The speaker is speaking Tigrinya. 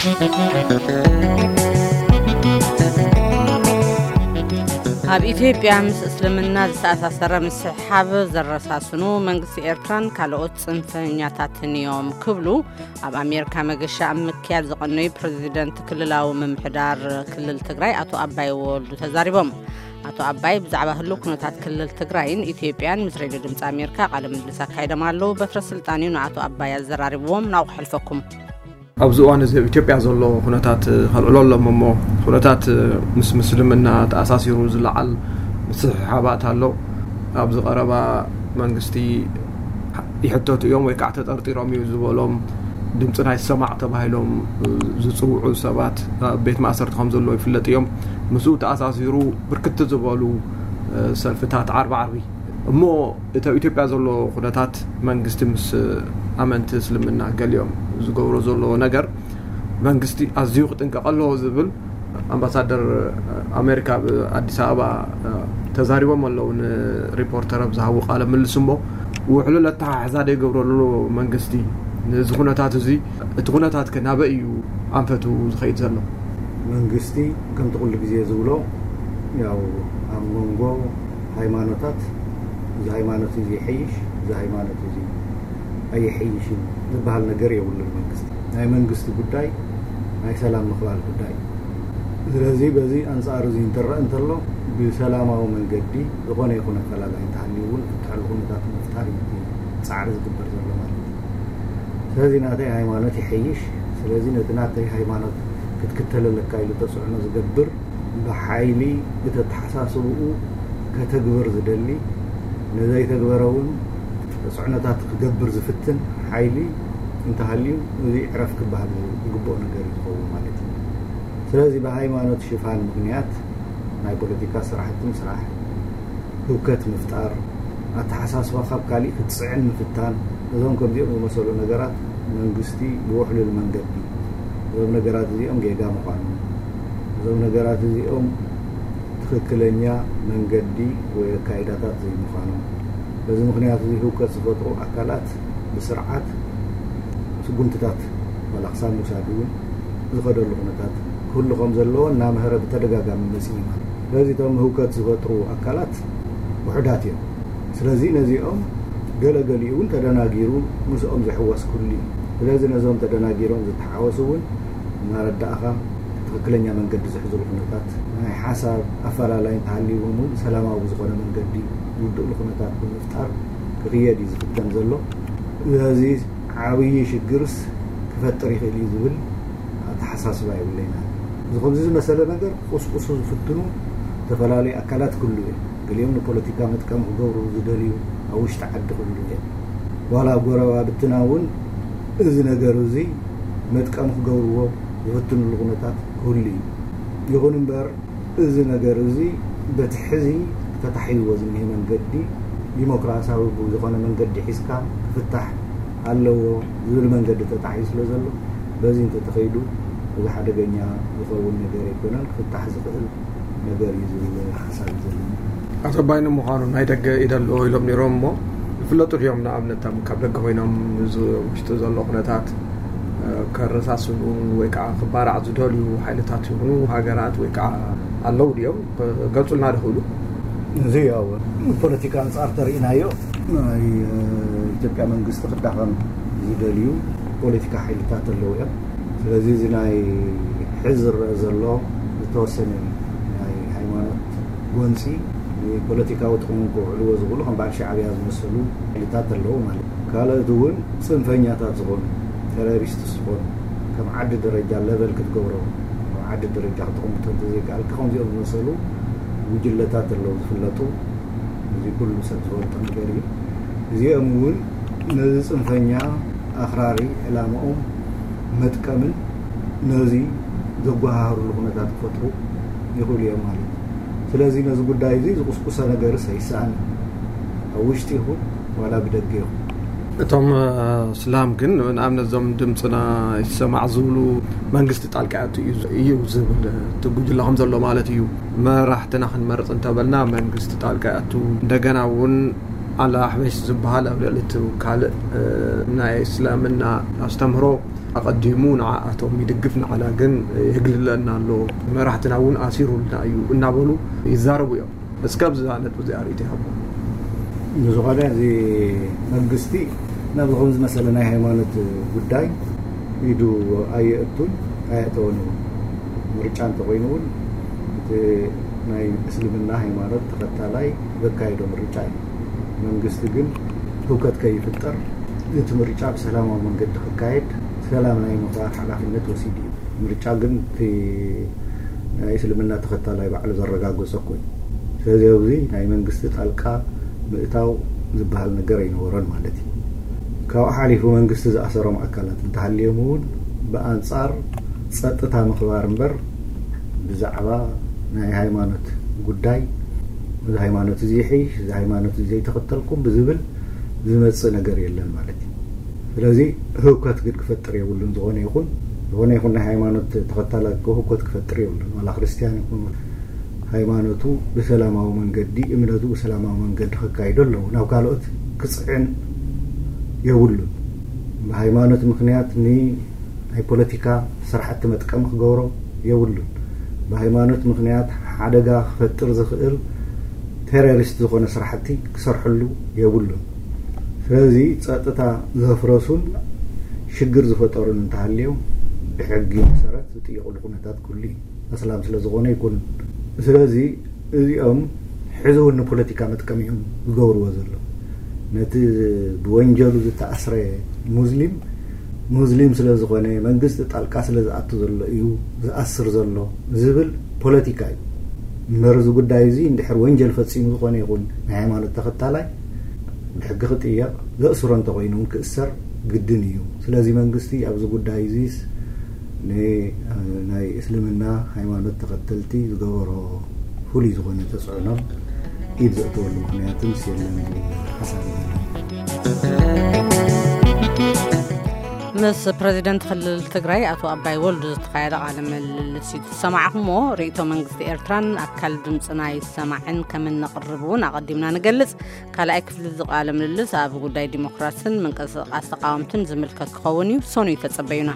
ኣብ ኢትዮጵያ ምስ እስልምና ዝተኣሳሰረ ምስሕሓብ ዘረሳስኑ መንግስቲ ኤርትራን ካልኦት ጽንፈኛታትን እዮም ክብሉ ኣብ ኣሜሪካ መገሻ ኣብ ምክያድ ዝቐነዩ ፕረዚደንት ክልላዊ ምምሕዳር ክልል ትግራይ ኣቶ ኣባይ ወልዱ ተዛሪቦም። ኣቶ ኣባይ ብዛዕባ ህሉው ኩነታት ክልል ትግራይን ኢትዮጵያን ምስ ሬድዮ ድምፂ ኣሜሪካ ቃለ ምልልስ ኣካይዶም ኣለዉ። በትረ ስልጣን እዩ ንኣቶ ኣባይ ኣዘራሪብዎም። ናብኡ ክሕልፈኩም። ኣብዚ እዋን እዚ ኣብ ኢትዮጵያ ዘሎ ኩነታት ከልዕሎ ኣለዎም እሞ፣ ኩነታት ምስ ምስልምና ተኣሳሲሩ ዝለዓል ምስሕሓባት ኣሎ። ኣብዚ ቀረባ መንግስቲ ይሕተቱ እዮም ወይ ከዓ ተጠርጢሮም እዩ ዝበሎም ድምፅና ይሰማዕ ተባሂሎም ዝፅውዑ ሰባት ኣብ ቤት ማእሰርቲ ከም ዘለዉ ይፍለጥ እዮም። ምስኡ ተኣሳሲሩ ብርክት ዝበሉ ሰልፍታት ዓርቢ ዓርቢ እሞ፣ እቲ ኣብ ኢትዮጵያ ዘሎ ኩነታት መንግስቲ ምስ ኣመንቲ እስልምና ገሊኦም ዝገብሮ ዘሎ ነገር መንግስቲ ኣዝዩ ክጥንቀቕ ኣለዎ ዝብል ኣምባሳደር ኣሜሪካ ኣብ ኣዲስ ኣበባ ተዛሪቦም ኣለዉ ንሪፖርተር ኣብ ዝሃቡ ቃለ ምልልስ እሞ፣ ውሕሉል ኣተሓሕዛ ዶ ይገብረሉ መንግስቲ ነዚ ኩነታት እዚ? እቲ ኩነታት ከ ናበይ እዩ ኣንፈቱ ዝኸይድ ዘሎ? መንግስቲ ከምቲ ኩሉ ግዜ ዝብሎ ያው ኣብ መንጎ ሃይማኖታት እዚ ሃይማኖት እዚ ይሐይሽ፣ እዚ ሃይማኖት እዚ ኣይሐይሽን ዝበሃል ነገር የብሉን። መንግስቲ ናይ መንግስቲ ጉዳይ ናይ ሰላም ምኽባር ጉዳይ እዩ። ስለዚ በዚ ኣንጻር እዚ እንትረአ እንተሎ ብሰላማዊ መንገዲ ዝኾነ ይኹን ኣፈላላይ እንተሃልዩ እውን ፍትሐሉ ኩነታት ንምፍጣር እዩ ፃዕሪ ዝግበር ዘሎ ማለት እዩ። ስለዚ ናተይ ሃይማኖት ይሐይሽ፣ ስለዚ ነቲ ናተይ ሃይማኖት ክትክተል ኣለካ ኢሉ ተፅዕኖ ዝገብር ብሓይሊ እቲ ኣተሓሳስብኡ ከተግብር ዝደሊ፣ ንዘይተግበረ እውን ተፅዕኖታት ክገብር ዝፍትን ሓይሊ እንተሃልዩ፣ እዚ ዕረፍ ክበሃል ዝግብኦ ነገር እዩ ዝኸውን ማለት እዩ። ስለዚ ብሃይማኖት ሽፋን ምኽንያት ናይ ፖለቲካ ስራሕቲ ምስራሕ፣ ህውከት ምፍጣር፣ ኣተሓሳስባ ካብ ካሊእ ክትፅዕን ምፍታን፣ እዞም ከምዚኦም ዝመሰሉ ነገራት መንግስቲ ብውሕሉል መንገዲ እዞም ነገራት እዚኦም ጌጋ ምዃኖም፣ እዞም ነገራት እዚኦም ትኽክለኛ መንገዲ ወይ ኣካይዳታት ዘይምዃኖም፣ በዚ ምኽንያት እዚ ህውከት ዝፈጥሩ ኣካላት ብስርዓት ስጉምትታት ዋላ ክሳብ ምውሳድ እውን ዝኸደሉ ኩነታት ክህሉ ከም ዘለዎ እናምሀረ ብተደጋጋሚ መፂኡ ማለት እዩ። ስለዚ እቶም ህውከት ዝፈጥሩ ኣካላት ውሑዳት እዮም። ስለዚ ነዚኦም ገለገሊኡ እውን ተደናጊሩ ምስኦም ዝሕወስ ክህሉ እዩ። ስለዚ ነዞም ተደናጊሮም ዝተሓወሱ እውን እናረዳእኻ ትኽክለኛ መንገዲ ዝሕዝሉ ኩነታት ናይ ሓሳብ ኣፈላላይ እንተሃልይዎም እውን ሰላማዊ ብዝኾነ መንገዲ ዝውድእሉ ኩነታት ብምፍጣር ክኽየድ እዩ ዝፍተን ዘሎ። ስለዚ ዓብዪ ሽግርስ ክፈጥር ይኽእል እዩ ዝብል ኣተሓሳስባ የብለይና። እዚ ከምዚ ዝመሰለ ነገር ክቕስቅሱ ዝፍትኑ ዝተፈላለዩ ኣካላት ክህሉ እዮም። ገሊኦም ንፖለቲካ መጥቀሚ ክገብሩ ዝደልዩ ኣብ ውሽጢ ዓዲ ክህሉ እዮም። ዋላ ኣብ ጎረባብትና እውን እዚ ነገር እዚ መጥቀሚ ክገብርዎ ዝፍትንሉ ኩነታት ክህሉ እዩ። ይኹን እምበር እዚ ነገር እዚ በቲ ሕዚ ተታሒዝዎ ዝኒሀ መንገዲ ዲሞክራሲያዊ ብዝኾነ መንገዲ ሒዝካ ክፍታሕ ኣለዎ ዝብል መንገዲ ተታሒዙ ስለ ዘሎ በዚ እንተተኸይዱ እዚ ሓደገኛ ዝኸውን ነገር ኣይኮነን፣ ክፍታሕ ዝኽእል ነገር እዩ ዝብል ሓሳብ እዩ ዘለኒ። ኣቶ ኣባይ ንምዃኑ ናይ ደገ ኢደ ኣለዎ ኢሎም ነይሮም እሞ ይፍለጡ ድዮም? ንኣብነት ኣብ ካብ ደገ ኮይኖም እዚ ውሽጢ ዘሎ ኩነታት ከረሳስኑ ወይ ከዓ ክባራዕ ዝደልዩ ሓይልታት ይኹኑ ሃገራት ወይ ከዓ ኣለዉ ድዮም? ገልፁልና ድኽእሉ? እዚ ያው ፖለቲካ ኣንፃር ተርኢናዮ ናይ ኢትዮጵያ መንግስቲ ክዳኸም ዝደልዩ ፖለቲካ ሓይልታት ኣለዉ እዮም። ስለዚ እዚ ናይ ሕዚ ዝረአ ዘሎ ዝተወሰነ ናይ ሃይማኖት ጎንፂ ንፖለቲካዊ ጥቕሞም ከውዕልዎ ዝኽእሉ ከም በዓል ሻዕብያ ዝመሰሉ ሓይልታት ኣለዉ ማለት እዩ። ካልኦት እውን ፅንፈኛታት ዝኾኑ ተሮሪስት ዝኾኑ ከም ዓዲ ደረጃ ለቨል ክትገብሮ ኣብ ዓዲ ደረጃ ክተቐምጦ እንተዘይከኣልካ ከምዚኦም ዝመሰሉ ጉጅለታት ኣለዉ ዝፍለጡ። እዚ ኩሉ ሰብ ዝፈልጦ ነገር እዩ። እዚኦም እውን ነዚ ፅንፈኛ ኣኽራሪ ዕላምኦም መጥቀምን ነዚ ዘጓሃህርሉ ኩነታት ክፈጥሩ ይኽእሉ እዮም ማለት እዩ። ስለዚ ነዚ ጉዳይ እዚ ዝቁስቁሰ ነገርስ ኣይሰኣንን፣ ኣብ ውሽጢ ይኹን ዋላ ብደገ ይኹን። እቶም እስላም ግን ንኣብነት እዞም ድምፅና ይሰማዕ ዝብሉ መንግስቲ ጣልቃ ያቱ እዩ ዝብል እቲ ጉጅለ ከም ዘሎ ማለት እዩ። መራሕትና ክንመርፅ እንተበልና መንግስቲ ጣልቃ ያቱ እንደገና እውን ኣላ ኣሕበሽ ዝበሃል ኣብ ልዕሊ እቲ ካልእ ናይ እስላምና ኣስተምህሮ ኣቐዲሙ ንዓኣቶም ይድግፍ፣ ንዓና ግን የግልለና ኣሎ፣ መራሕትና እውን ኣሲሩልና እዩ እናበሉ ይዛረቡ እዮም። እስከ ኣብዛ ነጥቢ እዚኣ ርእይቶ ይሃቡ። ንዝኾነ እዚ መንግስቲ ናብ ዝኾነ ዝመሰለ ናይ ሃይማኖት ጉዳይ ኢዱ ኣየእቱን ኣየእተወን እውን። ምርጫ እንተኮይኑ እውን እቲ ናይ እስልምና ሃይማኖት ተኸታላይ ዘካየዶ ምርጫ እዩ። መንግስቲ ግን ህውከት ከይፍጠር እቲ ምርጫ ብሰላማዊ መንገዲ ክካየድ ሰላም ናይ ምኽባር ሓላፍነት ወሲዱ እዩ። ምርጫ ግን እቲ ናይ እስልምና ተኸታላይ ባዕሉ ዘረጋገጾ እኮ እዩ። ስለዚ ኣብዚ ናይ መንግስቲ ጣልቃ ምእታው ዝበሃል ነገር ኣይነበሮን ማለት እዩ። ካብኡ ሓሊፉ መንግስቲ ዝኣሰሮም ኣካላት እንተሃልዮም እውን ብኣንጻር ጸጥታ ምኽባር እምበር ብዛዕባ ናይ ሃይማኖት ጉዳይ፣ እዚ ሃይማኖት እዚ ይሕይሽ፣ እዚ ሃይማኖት እዚ ዘይተኸተልኩም ብዝብል ዝመጽእ ነገር የለን ማለት እዩ። ስለዚ ህውከት ግን ክፈጥር የብሉን። ዝኾነ ይኹን ዝኾነ ይኹን ናይ ሃይማኖት ተኸታላይ ህውከት ክፈጥር የብሉን። ዋላ ክርስትያን ይኹን ሃይማኖቱ ብሰላማዊ መንገዲ፣ እምነቱ ብሰላማዊ መንገዲ ከካይዶ ኣለዎ። ናብ ካልኦት ክጽዕን የብሉን። ብሃይማኖት ምኽንያት ን ናይ ፖለቲካ ስራሕቲ መጥቀሚ ክገብሮ የብሉን። ብሃይማኖት ምኽንያት ሓደጋ ክፈጥር ዝኽእል ቴሮሪስት ዝኾነ ስራሕቲ ክሰርሐሉ የብሉን። ስለዚ ጸጥታ ዘፍረሱን ሽግር ዝፈጠሩን እንተሃልዮም ብሕጊ መሰረት ዝጥየቁሉ ኩነታት ኩሉ እዩ። ኣስላም ስለ ዝኾነ ኣይኮኑን። ስለዚ እዚኦም ሕዚ እውን ንፖለቲካ መጥቀሚ እዮም ዝገብርዎ ዘሎ። ነቲ ብወንጀሉ ዝተኣስረ ሙስሊም ሙስሊም ስለ ዝኾነ መንግስቲ ጣልቃ ስለ ዝኣቱ ዘሎ እዩ ዝኣስር ዘሎ ዝብል ፖለቲካ እዩ። እምበር እዚ ጉዳይ እዚ እንድሕር ወንጀል ፈጺሙ ዝኾነ ይኹን ናይ ሃይማኖት ተኸታላይ ብሕጊ ክጥየቕ፣ ዘእስሮ እንተኾይኑ እውን ክእሰር ግድን እዩ። ስለዚ መንግስቲ ኣብዚ ጉዳይ እዚስ ን-፣ ናይ እስልምና ሃይማኖት ተኸተልቲ ዝገበሮ ፍሉይ ዝኾነ ተጽዕኖን ኢድ ዘእተወሉ ምኽንያትን የለን ዝብል ሓሳብ እዩ ዘለኒ። ምስ ፕረዚደንት ክልል ትግራይ ኣቶ ኣባይ ወልዱ ዝተኻየደ ቃለ ምልልስ እዩ ዝሰማዕኹሞ። ርእይቶ መንግስቲ ኤርትራን ኣካል ድምፅና ይሰማዕን ከም እነቕርብ እውን ኣቐዲምና ንገልጽ። ካልኣይ ክፍሊ እዚ ቃለ ምልልስ ኣብ ጉዳይ ዲሞክራስን ምንቅስቃስ ተቃወምትን ዝምልከት ክኸውን እዩ። ሰኑይ ተጸበዩና።